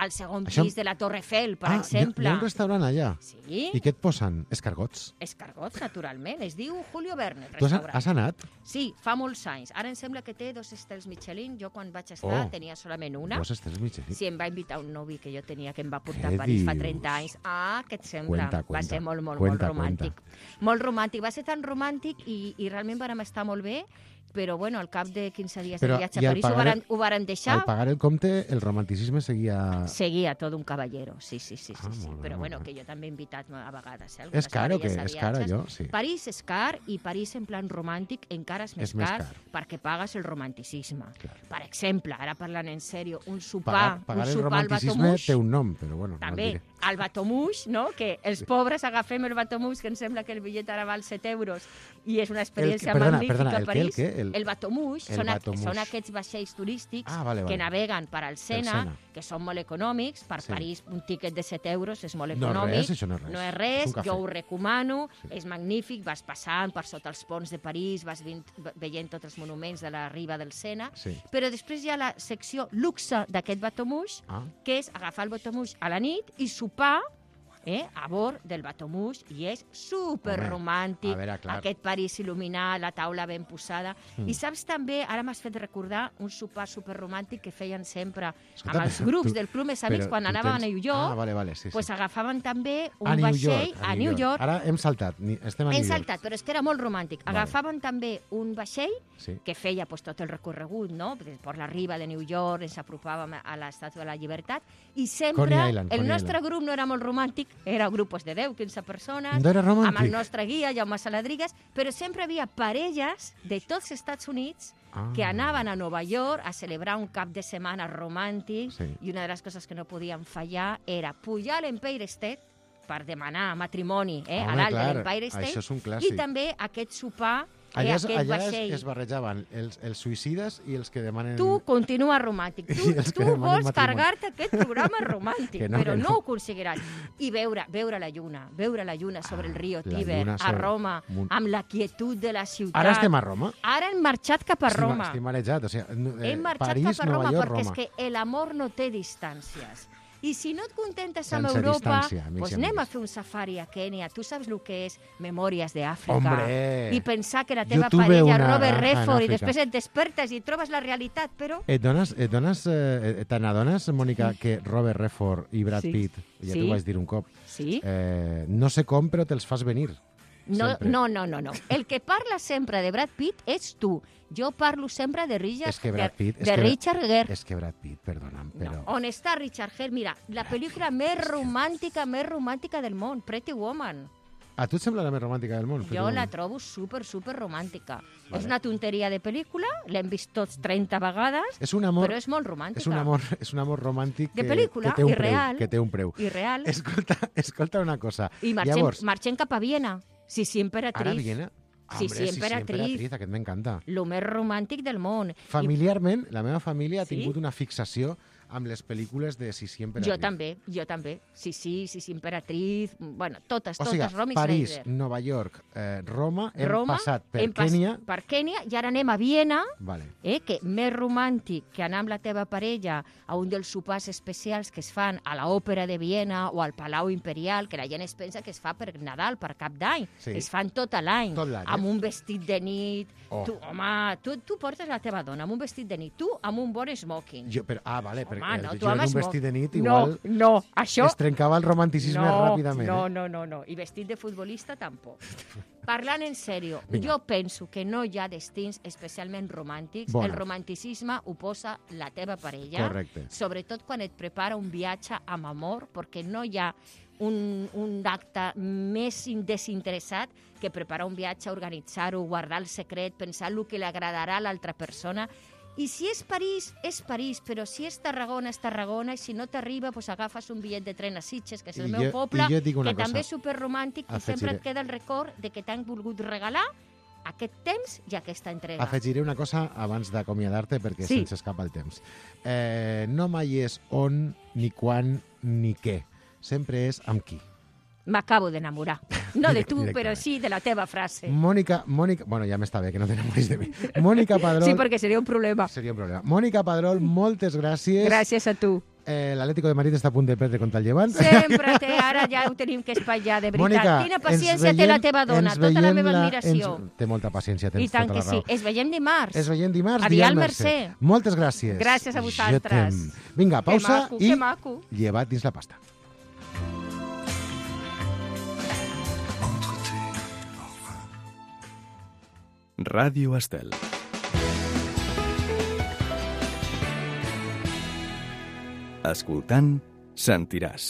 al segon pis de la Torre Eiffel, per exemple. Hi ha un restaurant allà? Sí. I què et posen? Escargots? Escargots, naturalment. Es diu Julio Verne, tu restaurant. Has anat? Sí, fa molts anys. Ara em sembla que té 2 estels Michelin. Jo quan vaig estar tenia solament una. 2 estels Michelin? Sí, em va invitar un novi que jo tenia que em va portar a París fa 30 anys. Què et sembla? Va ser molt romàntic. Molt romàntic. Va ser tan romàntic i realment vam estar molt bé. Però, bueno, al cap de 15 dies de viatge a París ho varen deixar. Al pagar el compte, el romanticisme seguia... Seguia tot un caballero, sí. Però, bueno, que jo també he invitat a vegades. És car o què? És car, allò? Sí. París és car i París en plan romàntic encara és més car perquè pagues el romanticisme. Per exemple, ara parlant en sèrio, un sopar pagar el romanticisme té un nom, però bueno, també, el bateau-mouche, no? Que els pobres agafem el bateau-mouche, que em sembla que el bitllet ara val 7 euros i és una experiència magnífica a París. El bateau-mouche són aquests vaixells turístics que naveguen per al Sena, que són molt econòmics. Per París un tiquet de 7 euros és molt econòmic. No és res, jo ho recomano, és magnífic, vas passant per sota els ponts de París, vas veient tots els monuments de la riba del Sena, però després hi ha la secció luxe d'aquest bateau-mouche, que és agafar el bateau-mouche a la nit i sopar a bord del bateau-mouche i és superromàntic, aquest París il·luminat, la taula ben posada. I saps també, ara m'has fet recordar un sopar superromàntic que feien sempre amb els grups del Club Més Amics quan anàvem a New York, pues agafaven també un vaixell a New York. Ara hem saltat, estem a New York. Hem saltat, però és que era molt romàntic. Agafaven també un vaixell que feia tot el recorregut, no? Per la riba de New York, ens apropàvem a l'Estàtua de la Llibertat i sempre el nostre grup no era molt romàntic, era grupos de 10, 15 persones, amb el nostre guia, Jaume Saladrigues, però sempre havia parelles de tots els Estats Units que anaven a Nova York a celebrar un cap de setmana romàntic i una de les coses que no podien fallar era pujar a l'Empire State per demanar matrimoni a l'alt de l'Empire State i també aquest sopar allà es barrejaven els suïcides i els que demanen... Tu continua romàntic. Tu vols carregar-te aquest programa romàntic, però no ho aconseguiràs. I veure la lluna sobre el riu Tíber, a Roma, amb la quietud de la ciutat. Ara estem a Roma? Ara hem marxat cap a Roma. Estic marejat, hem marxat cap a Roma perquè és que l'amor no té distàncies. I si no et contentes amb Europa, doncs anem a fer un safari a Kènia. Tu saps el que és Memòries d'Àfrica. I pensar que la teva parella Robert Redford i després et despertes i trobes la realitat, però... Te n'adones, Mònica, que Robert Redford i Brad Pitt, ja t'ho vaig dir un cop, no sé com, però te'ls fas venir. No. El que parla sempre de Brad Pitt ets tu. Jo parlo sempre de Richard Gere. És que Brad Pitt, perdona'm, però... No. On està Richard Gere? Mira, la pel·lícula més romàntica del món, Pretty Woman. A tu et sembla la més romàntica del món? Jo la trobo super romàntica. És una tonteria de pel·lícula, l'hem vist tots 30 vegades, però és molt romàntica. És un amor romàntic de pel·lícula, que té un preu. I real. Escolta una cosa. I marxem cap a Viena. Sí, Emperatriz. Ara Viena? Sí, Emperatriz. Aquest m'encanta. Lo més romàntic del món. Familiarment, la meva família ha tingut una fixació amb les pel·lícules de Sissi Emperatriz. Jo també. Sissi Emperatriz, bueno, totes, Roma i París, Nova York, Roma, hem passat per Kènia. Per Kènia, i ara anem a Viena, que més romàntic que anar amb la teva parella a un dels sopars especials que es fan a l'Òpera de Viena o al Palau Imperial, que la gent es pensa que es fa per Nadal, per Cap d'Any. Es fan tot l'any, amb un vestit de nit. Tu portes la teva dona amb un vestit de nit, tu amb un bon smoking. Perquè jo en un vestit de nit igual això... es trencava el romanticisme ràpidament. No. I vestit de futbolista tampoc. Parlant en sèrio, jo penso que no hi ha destins especialment romàntics. El romanticisme ho posa la teva parella, sobretot quan et prepara un viatge amb amor, perquè no hi ha un acte més desinteressat que preparar un viatge, organitzar-ho, guardar el secret, pensar el que li agradarà a l'altra persona. I si és París, però si és Tarragona, és Tarragona, i si no t'arriba, doncs agafes un bitllet de tren a Sitges, que és el meu poble, que també és superromàntic, i sempre et queda el record de que t'han volgut regalar aquest temps i aquesta entrega. Afegiré una cosa abans d'acomiadar-te, perquè se'ns escapa el temps. No mai és on, ni quan, ni què. Sempre és amb qui. M'acabo d'enamorar. No de tu, però sí de la teva frase. Mònica... Bueno, ja m'està bé, que no t'enamoris de mi. Mònica Padrol... Sí, perquè seria un problema. Seria un problema. Mònica Padrol, moltes gràcies. Gràcies a tu. L'Atlético de Madrid està a punt de perdre contra el Llevant. Sempre ara ja ho tenim que espatllar, de veritat. Mònica, quina paciència té la teva dona, tota la meva admiració. Té molta paciència, tens I tant tota la que raó. sí. Es veiem dimarts. Dial Mercè. Moltes gràcies. Gràcies a vosaltres. Vinga, pausa i llevat dins la pasta. Ràdio Estel. Escoltant, sentiràs.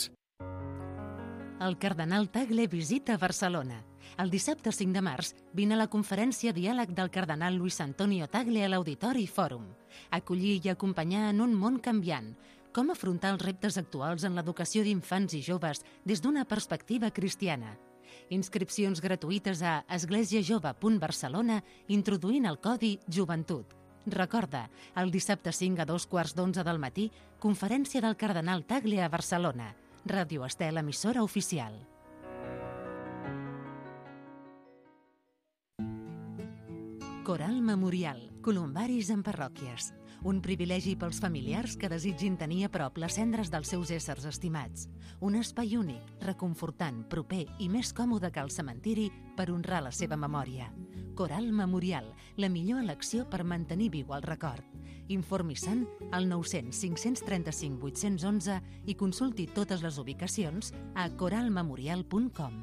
El cardenal Tagle visita Barcelona. El dissabte 5 de març vine a la conferència Diàleg del cardenal Luis Antonio Tagle a l'Auditori Fòrum. Acollir i acompanyar en un món canviant. Com afrontar els reptes actuals en l'educació d'infants i joves des d'una perspectiva cristiana. Inscripcions gratuïtes a esglésiajove.barcelona introduint el codi Joventut. Recorda, el dissabte 5 a 2:15 del matí, conferència del cardenal Tagle a Barcelona. Ràdio Estel, emissora oficial. Coral Memorial, columbaris en parròquies. Un privilegi pels familiars que desitgin tenir a prop les cendres dels seus éssers estimats. Un espai únic, reconfortant, proper i més còmode que el cementiri per honrar la seva memòria. Coral Memorial, la millor elecció per mantenir viu el record. Informi-se'n al 900 535 811 i consulti totes les ubicacions a coralmemorial.com.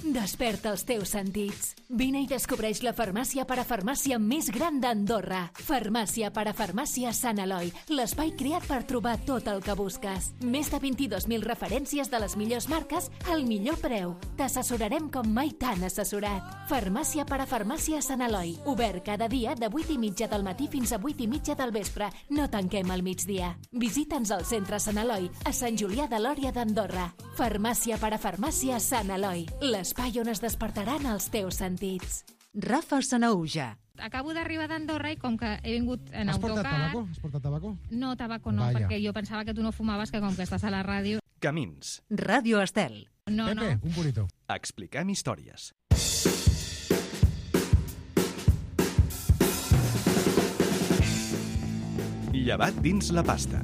Desperta els teus sentits. Vine i descobreix la farmàcia parafarmàcia més gran d'Andorra. Farmàcia parafarmàcia Sant Eloi, l'espai creat per trobar tot el que busques. Més de 22.000 referències de les millors marques al millor preu. T'assessorarem com mai t'han assessorat. Farmàcia parafarmàcia Sant Eloi, obert cada dia de 8:30 del matí fins a 8:30 del vespre. No tanquem al migdia. Visita'ns al centre Sant Eloi, a Sant Julià de Lòria d'Andorra. Farmàcia parafarmàcia Sant Eloi, l'espai on es despertaran els teus sentits. Rafa Sanauja. Acabo d'arribar d'Andorra i com que he vingut en Has autocar... Has portat tabaco? No, tabaco no, perquè jo pensava que tu no fumaves, que com que estàs a la ràdio... Camins. Ràdio Estel. No, Pepe, un purito. Expliquem històries. Llevat dins la pasta.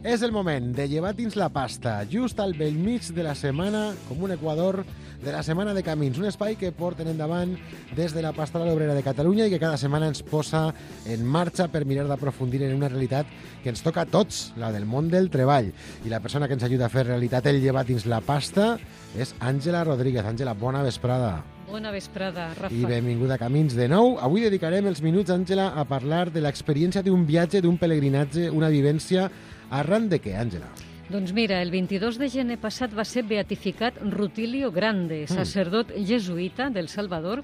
És el moment de llevar dins la pasta, just al bell mig de la setmana, com un equador de la Setmana de Camins, un espai que porten endavant des de la Pastoral Obrera de Catalunya i que cada setmana ens posa en marxa per mirar d'aprofundir en una realitat que ens toca a tots, la del món del treball. I la persona que ens ajuda a fer realitat el llevat dins la pasta és Àngela Rodríguez. Àngela, bona vesprada. Bona vesprada, Rafa. I benvinguda a Camins de nou. Avui dedicarem els minuts, Àngela, a parlar de l'experiència d'un viatge, d'un pelegrinatge, una vivència. Arran de què, Àngela? Doncs mira, el 22 de gener passat va ser beatificat Rutilio Grande, sacerdot jesuïta del Salvador,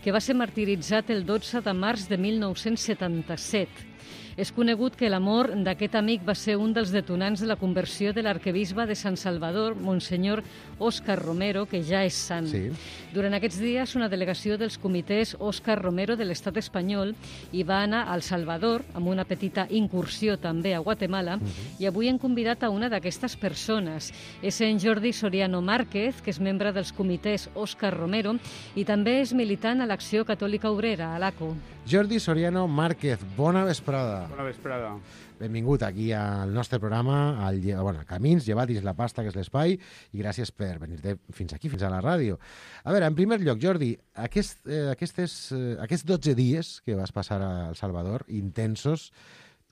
que va ser martiritzat el 12 de març de 1977. És conegut que la mort d'aquest amic va ser un dels detonants de la conversió de l'arquebisbe de Sant Salvador, Monsenyor Òscar Romero, que ja és sant. Sí. Durant aquests dies, una delegació dels comitès Òscar Romero de l'Estat espanyol hi va anar al Salvador, amb una petita incursió també a Guatemala, i avui hem convidat a una d'aquestes persones. És en Jordi Soriano Márquez, que és membre dels comitès Òscar Romero, i també és militant a l'Acció Catòlica Obrera, a l'ACO. Jordi Soriano Márquez, bona vesprada. Bona vesprada. Benvingut aquí al nostre programa, a Camins, llevat dins la pasta, que és l'espai, i gràcies per venir-te fins aquí, fins a la ràdio. A veure, en primer lloc, Jordi, aquests 12 dies que vas passar a El Salvador, intensos,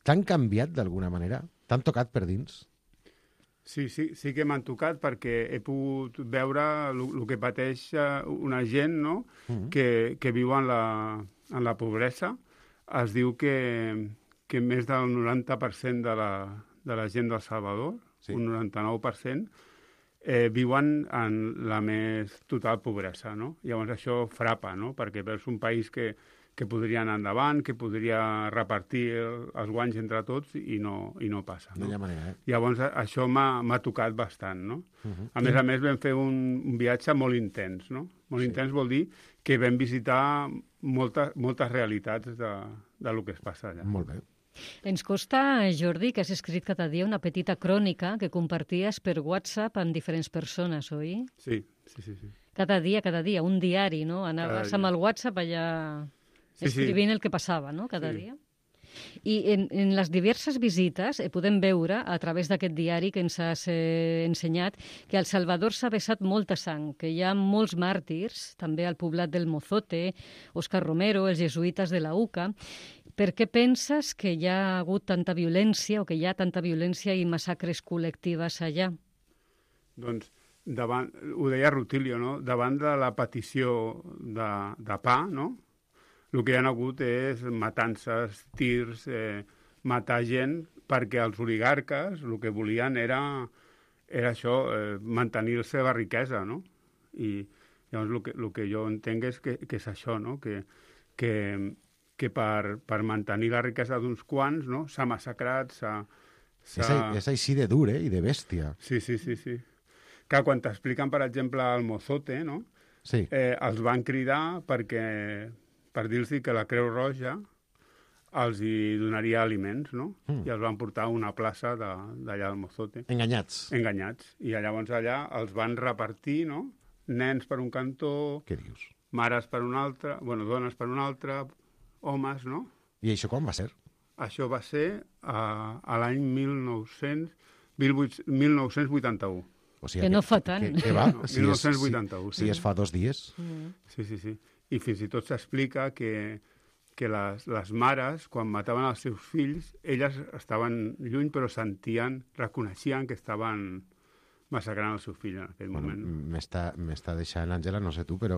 t'han canviat d'alguna manera? T'han tocat per dins? Sí que m'han tocat perquè he pogut veure el que pateix una gent, no? Que viu en la pobresa. Es diu que que més del 90% de la gent del Salvador, un 99%, viuen en la més total pobresa, no? Llavors això frapa, no? Perquè és un país que podria anar endavant, que podria repartir els guanys entre tots i no passa. No? No hi ha manera, Llavors això m'ha tocat bastant, no? A més vam fer un viatge molt intens, no? Molt intens vol dir que vam visitar moltes realitats de lo que es passa allà. Molt bé. Ens consta, Jordi, que has escrit cada dia una petita crònica que comparties per WhatsApp amb diferents persones, oi? Sí. Cada dia, un diari, no? Anaves amb el WhatsApp allà escrivint el que passava, no?, cada dia. I en les diverses visites podem veure, a través d'aquest diari que ens has ensenyat, que al Salvador s'ha vessat molta sang, que hi ha molts màrtirs, també al poblat del Mozote, Òscar Romero, els jesuïtes de la UCA. Per què penses que hi ha hagut tanta violència o que hi ha tanta violència i massacres col·lectives allà? Doncs, ho deia Rutilio, no? Davant de la petició de pa, no? El que hi ha hagut és matances, tirs, matar gent, perquè els oligarques el que volien era això, mantenir la seva riquesa, no? I llavors el que jo entenc és que és això, no? Que per mantenir la riquesa d'uns quants, no? S'ha massacrat, És així de dur, i de bèstia. Sí. Que quan t'expliquen, per exemple, el Mozote, no? Sí. Els van cridar per dir-los que la Creu Roja els hi donaria aliments, no? I els van portar a una plaça d'allà del Mozote. Enganyats. I llavors allà els van repartir, no? Nens per un cantó... Què dius? Mares per un altre, dones per un altre, homes, no? I això quan va ser? Això va ser a l'any 1981. O sigui, que no fa tant. Que va? 1981. Si es fa 2 dies. Sí. I fins i tot s'explica que les mares, quan mataven els seus fills, elles estaven lluny, però reconeixien que estaven massacrant el seu fill en aquell moment. M'està deixant, Àngela, no sé tu, però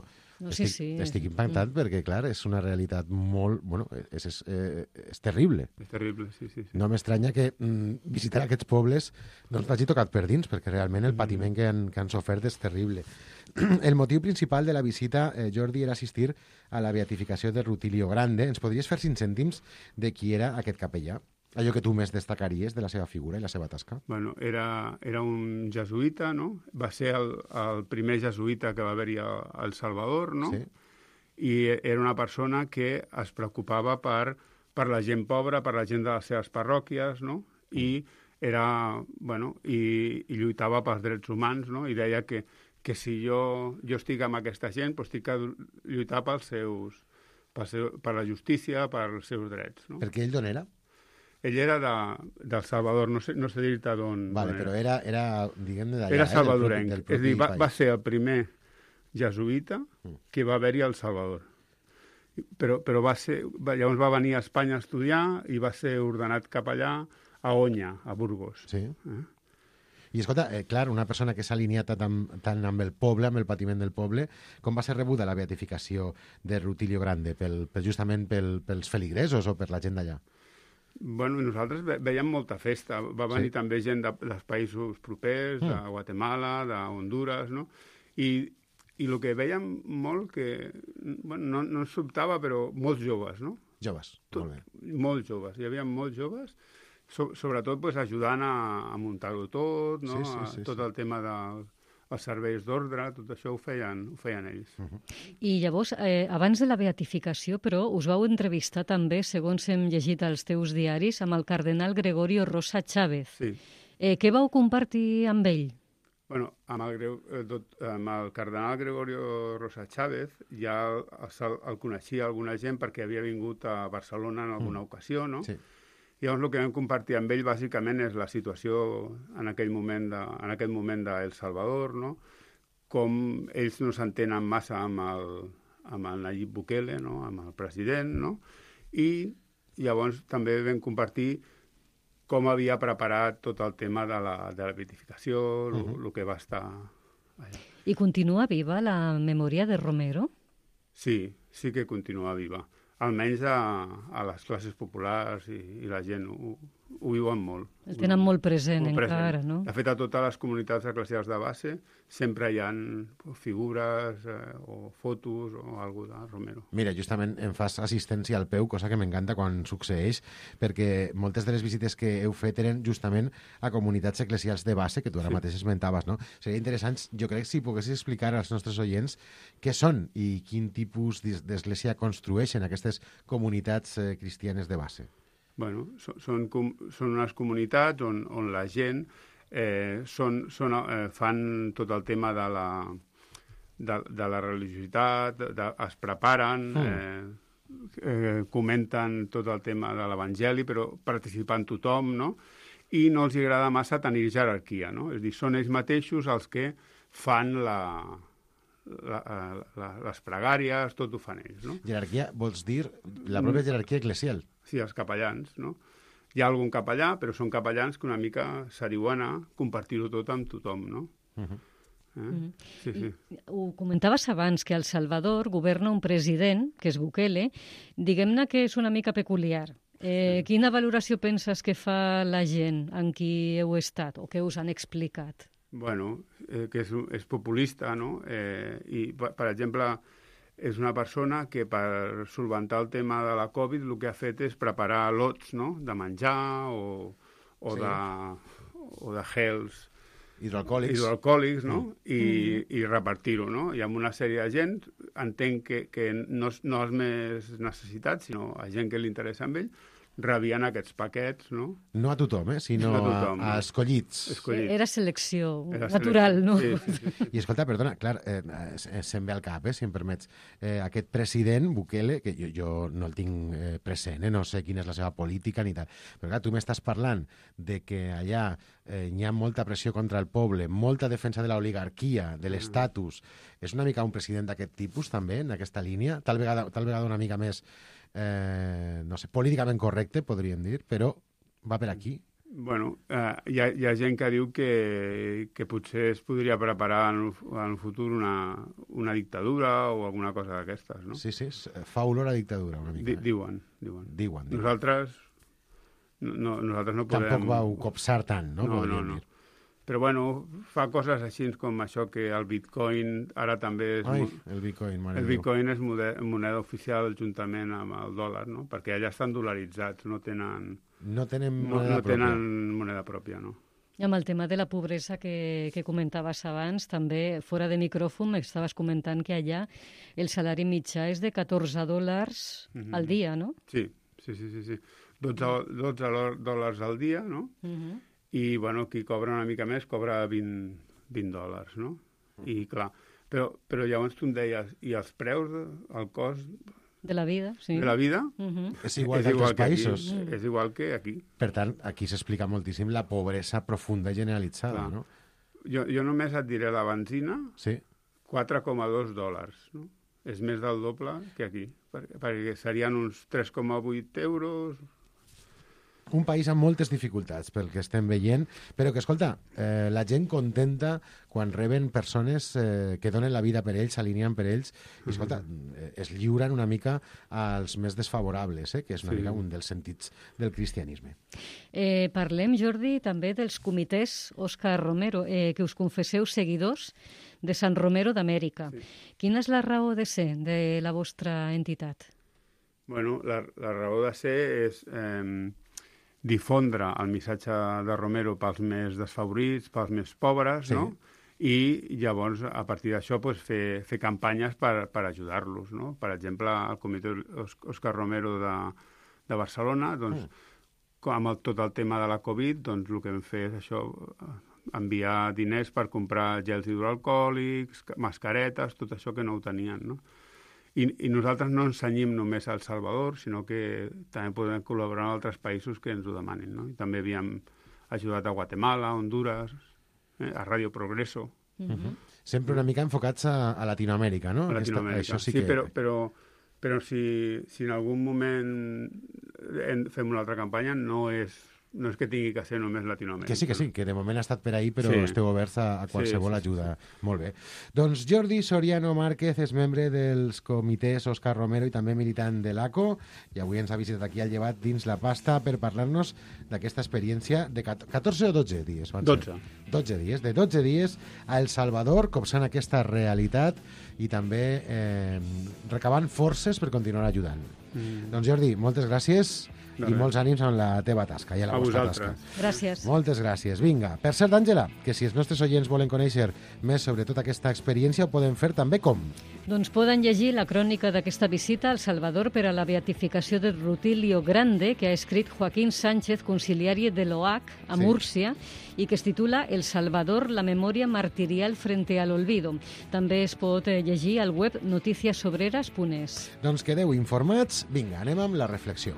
estic impactat perquè, clar, és una realitat molt... és terrible. És terrible, sí. No m'estranya que visitar aquests pobles doncs t'hagi tocat per dins, perquè realment el patiment que han sofert és terrible. El motiu principal de la visita, Jordi, era assistir a la beatificació de Rutilio Grande. Ens podries fer 5 cèntims de qui era aquest capellà? Allò que tu més destacaries de la seva figura i la seva tasca? Bueno, era un jesuïta, no? Va ser el primer jesuïta que va haver-hi a El Salvador, no? Sí. I era una persona que es preocupava per la gent pobra, per la gent de les seves parròquies, no? I lluitava pels drets humans, no? I deia que si jo estic amb aquesta gent, doncs estic a lluitar per la justícia, pels seus drets, no? Perquè ell d'on era? Ell era del Salvador, no sé dir-te d'on era. Però era, diguem-ne, d'allà. Era salvadorenc. És a dir, va ser el primer jesuïta que va haver-hi al Salvador. Però llavors va venir a Espanya a estudiar i va ser ordenat capellà a Oña, a Burgos. Sí. I escolta, clar, una persona que s'ha alineat tant amb el poble, amb el patiment del poble, com va ser rebuda la beatificació de Rutilio Grande? Justament pels feligresos o per la gent d'allà? Bueno, nosaltres veiem molta festa. Va venir també gent dels països propers, de Guatemala, de Honduras, no? I el que veiem molt, que no ens sobtava, però molts joves, no? Joves, molt bé. Molts joves, hi havia molts joves, sobretot ajudant a muntar-ho tot, no? Tot el tema dels serveis d'ordre, tot això ho feien ells. I llavors, abans de la beatificació, però, us vau entrevistar també, segons hem llegit als teus diaris, amb el cardenal Gregorio Rosa Chávez. Sí. Què vau compartir amb ell? Bueno, amb el cardenal Gregorio Rosa Chávez ja el coneixia alguna gent perquè havia vingut a Barcelona en alguna ocasió, no? Sí. Llavors, el que vam compartir amb ell, bàsicament, és la situació en aquest moment d'El Salvador, no? Com ells no s'entenen massa amb el Nayib Bukele, no? Amb el president, no? I llavors també vam compartir com havia preparat tot el tema de la beatificació, el que va estar allà. I continua viva la memòria de Romero? Sí que continua viva. almenys a les classes populars i la gent ho viuen molt. El tenen molt present encara, no? De fet, a totes les comunitats eclesials de base sempre hi ha figures o fotos o alguna de Romero. Mira, justament em fas assistència al peu, cosa que m'encanta quan succeeix, perquè moltes de les visites que heu fet eren justament a comunitats eclesials de base, que tu ara mateix esmentaves, no? Seria interessant, jo crec, si poguessis explicar als nostres oients què són i quin tipus d'església construeixen aquestes comunitats cristianes de base. Bueno, són unes comunitats on la gent fan tot el tema de la religiositat, es preparen, comenten tot el tema de l'Evangeli, però participant tothom, no? I no els agrada massa tenir jerarquia, no? És a dir, són ells mateixos els que fan les pregàries, tot ho fan ells, no? Jerarquia vols dir la pròpia jerarquia eclesial? Sí, els capellans, no? Hi ha algun capellà, però són capellans que una mica s'ariuen a compartir-ho tot amb tothom, no? Sí. Ho comentaves abans, que a El Salvador governa un president, que és Bukele, diguem-ne que és una mica peculiar. Quina valoració penses que fa la gent amb qui heu estat o que us han explicat? Bueno, que és populista, no? I, per exemple, és una persona que per solventar el tema de la Covid el que ha fet és preparar lots, no?, de menjar o de gels hidroalcohòlics, no?, i repartir-ho, no? I amb una sèrie de gent, entenc que no els més necessitats, sinó a gent que li interessa amb ell, rebien aquests paquets, no? No a tothom, sinó a escollits. Era selecció natural, no? Sí. I escolta, perdona, clar, se'm ve al cap, si em permets, aquest president, Bukele, que jo no el tinc present, no sé quina és la seva política ni tal, però clar, tu m'estàs parlant de que allà hi ha molta pressió contra el poble, molta defensa de l'oligarquia, de l'estatus. És una mica un president d'aquest tipus, també, en aquesta línia? Tal vegada una mica més no sé, políticament correcte, podríem dir, però va per aquí. Bueno, hi ha gent que diu que potser es podria preparar en el futur una dictadura o alguna cosa d'aquestes, no? Sí, fa olor a dictadura, una mica. Diuen. Nosaltres no podem... Tampoc vau copsar tant, no? No. Però, bueno, fa coses així com això que el bitcoin ara també és... el bitcoin, mare El bitcoin és moneda oficial juntament amb el dòlar, no? Perquè allà estan dolaritzats, no tenen moneda pròpia, no? I amb el tema de la pobresa que comentaves abans, també fora de micròfon m'estaves comentant que allà el salari mitjà és de $14 al dia, no? Sí. 12 dòlars al dia, no? I, bueno, qui cobra una mica més cobra $20, no? I, clar, però llavors tu em deies, i els preus, el cost... De la vida, sí. De la vida? És igual que altres països. És igual que aquí. Per tant, aquí s'explica moltíssim la pobresa profunda i generalitzada, no? Jo només et diré la benzina, sí. $4,2, no? És més del doble que aquí, perquè serien uns 3,8 euros... Un país amb moltes dificultats, pel que estem veient, però que, escolta, la gent contenta quan reben persones que donen la vida per ells, s'alineen per ells, i, escolta, es lliuren una mica als més desfavorables, que és una mica un dels sentits del cristianisme. Parlem, Jordi, també dels comitès Òscar Romero, que us confesseu seguidors de Sant Romero d'Amèrica. Sí. Quina és la raó de ser de la vostra entitat? Bueno, la raó de ser és... difondre el missatge de Romero pels més desfavorits, pels més pobres, no? I llavors, a partir d'això, fer campanyes per ajudar-los, no? Per exemple, el comitè Òscar Romero de Barcelona, doncs, amb tot el tema de la Covid, doncs el que vam fer és això, enviar diners per comprar gels hidroalcohòlics, mascaretes, tot això que no ho tenien, no? I nosaltres no ens cenyim només a El Salvador, sinó que també podem col·laborar amb altres països que ens ho demanin, no? I també havíem ajudat a Guatemala, a Honduras, a Radio Progreso. Sempre una mica enfocats a Latinoamèrica, no? A Latinoamèrica, sí, però si en algun moment fem una altra campanya, no és no és que tingui que ser només Latinoamèrica. Que sí, que de moment ha estat per ahir, però esteu oberts a qualsevol ajuda. Molt bé. Doncs Jordi Soriano Márquez és membre dels comitès Òscar Romero i també militant de l'ACO, i avui ens ha visitat aquí al Llevat dins la pasta per parlar-nos d'aquesta experiència de 14 o 12 dies. 12 dies. De 12 dies a El Salvador, copsant aquesta realitat i també recabant forces per continuar ajudant. Doncs Jordi, moltes gràcies. I molts ànims en la teva tasca i a la vostra tasca. Gràcies. Moltes gràcies. Vinga. Per cert, Àngela, que si els nostres oients volen conèixer més sobre tota aquesta experiència, ho poden fer també com? Doncs poden llegir la crònica d'aquesta visita al Salvador per a la beatificació de Rutilio Grande, que ha escrit Joaquín Sánchez, conciliari de l'OAC a Múrcia, i que es titula El Salvador, la memòria martirial frente al olvido. També es pot llegir al web noticiasobreras.es. Doncs quedeu informats. Vinga, anem amb la reflexió.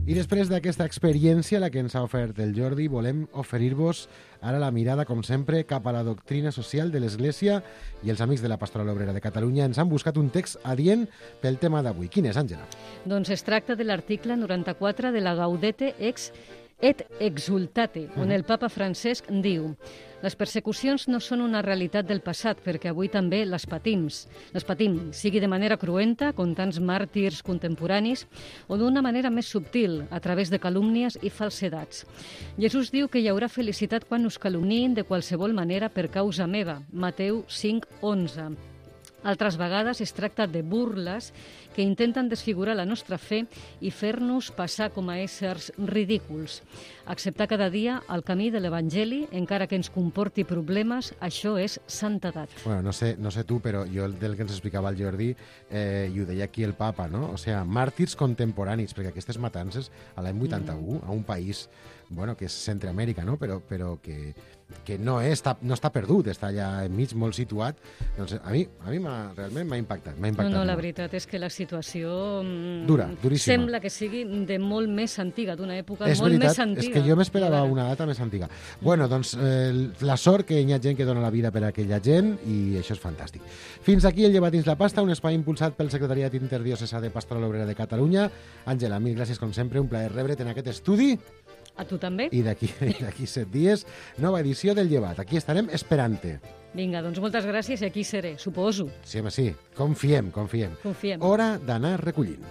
I després d'aquesta experiència, la que ens ha ofert el Jordi, volem oferir-vos ara la mirada, com sempre, cap a la doctrina social de l'Església, i els amics de la Pastoral Obrera de Catalunya ens han buscat un text adient pel tema d'avui. Quin és, Àngela? Doncs es tracta de l'article 94 de la Gaudete et Exultate, on el papa Francesc diu: les persecucions no són una realitat del passat, perquè avui també les patim, sigui de manera cruenta, com tants màrtirs contemporanis, o d'una manera més subtil, a través de calúmnies i falsedats. Jesús diu que hi haurà felicitat quan us calumniïn de qualsevol manera per causa meva, Mateu 5:11. Altres vegades es tracta de burles que intenten desfigurar la nostra fe i fer-nos passar com a éssers ridículs. Acceptar cada dia el camí de l'Evangeli, encara que ens comporti problemes, això és santedat. Bueno, no sé tu, però jo del que ens explicava el Jordi, i ho deia aquí el papa, no? O sigui, màrtirs contemporanis, perquè aquestes matances a l'any 81, a un país que és Centreamèrica, no? Però que no està perdut, està allà enmig, molt situat. Doncs a mi realment m'ha impactat. No, la veritat és que la situació duríssima. Sembla que sigui de molt més antiga, d'una època molt més antiga. És que jo m'esperava una data més antiga. Bueno, doncs la sort que hi ha gent que dona la vida per a aquella gent, i això és fantàstic. Fins aquí el Llevat dins la pasta, un espai impulsat pel Secretariat Interdiocesà de Pastoral Obrera de Catalunya. Àngela, mil gràcies com sempre, un plaer rebre't en aquest estudi. A tu també. I d'aquí 7 dies, nova edició del Llevat. Aquí estarem esperant-te. Vinga, doncs moltes gràcies i aquí seré, suposo. Sí, home, sí. Confiem. Hora d'anar recollint.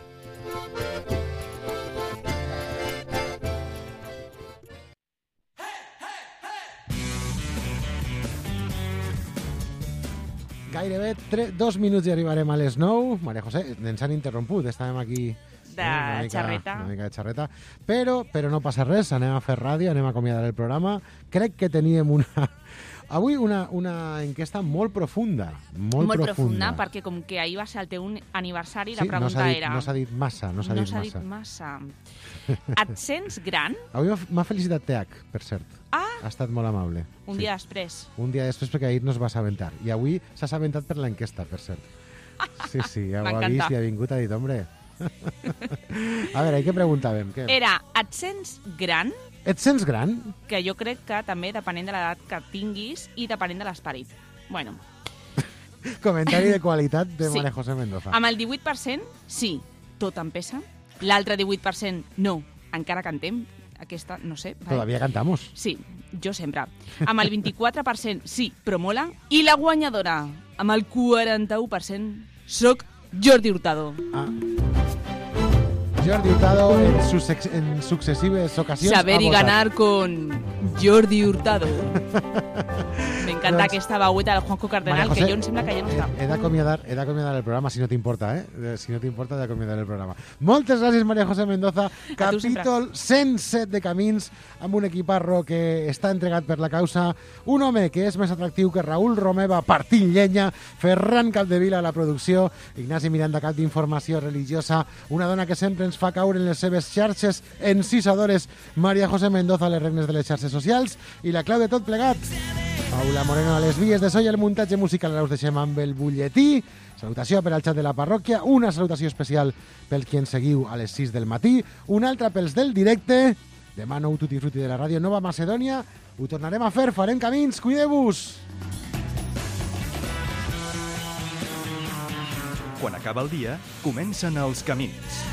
Gairebé 2 minuts i arribarem a les 9. Maria José, ens han interromput, estàvem aquí de xarreta. Una mica de xarreta. Però no passa res, anem a fer ràdio, anem a acomiadar el programa. Crec que teníem avui una enquesta molt profunda. Molt profunda, perquè com que ahir va ser el teu aniversari, la pregunta era... No s'ha dit massa. Et sents gran? Avui m'ha felicitat TH, per cert. Ha estat molt amable. Un dia després. Un dia després, perquè ahir no es va assabentar. I avui s'ha assabentat per l'enquesta, per cert. Sí, ja ho ha vist i ha vingut a dir, hombre... A veure, què preguntàvem? Era, et sents gran? Et sents gran? Que jo crec que també depenent de l'edat que tinguis i depenent de l'esperit. Bueno. Comentari de qualitat de María José Mendoza. Amb el 18%, sí, tot em pesa. L'altre 18%, no, encara cantem. Aquesta, no sé. Todavía cantamos. Sí, jo sempre. Amb el 24%, sí, però mola. I la guanyadora, amb el 41%, soc Jordi Hurtado. Jordi Hurtado en sucesives ocasiones. Saber y ganar con Jordi Hurtado. M'encanta aquesta veueta del Juanjo Cardenal, José, que jo em sembla que ja no està. He d'acomiadar el programa, si no t'importa, Si no t'importa, he d'acomiadar el programa. Moltes gràcies, María José Mendoza. Capítol 107 de Camins, amb un equiparro que està entregat per la causa. Un home que és més atractiu que Raül Romeva partint llenya, Ferran Capdevila a la producció, Ignasi Miranda, cap d'informació religiosa, una dona que sempre ens fa caure en les seves xarxes encisadores, María José Mendoza a les regnes de les xarxes socials, i la clau de tot plegat, Paula Moreno a les vies de so i el muntatge musical. Ara us deixem amb el butlletí. Salutació per al xat de la parròquia, una salutació especial pels qui ens seguiu a les 6 del matí, una altra pels del directe. Demà nou tutti frutti de la ràdio Nova Macedònia. Ho tornarem a fer, farem camins, cuideu-vos! Quan acaba el dia, comencen els camins.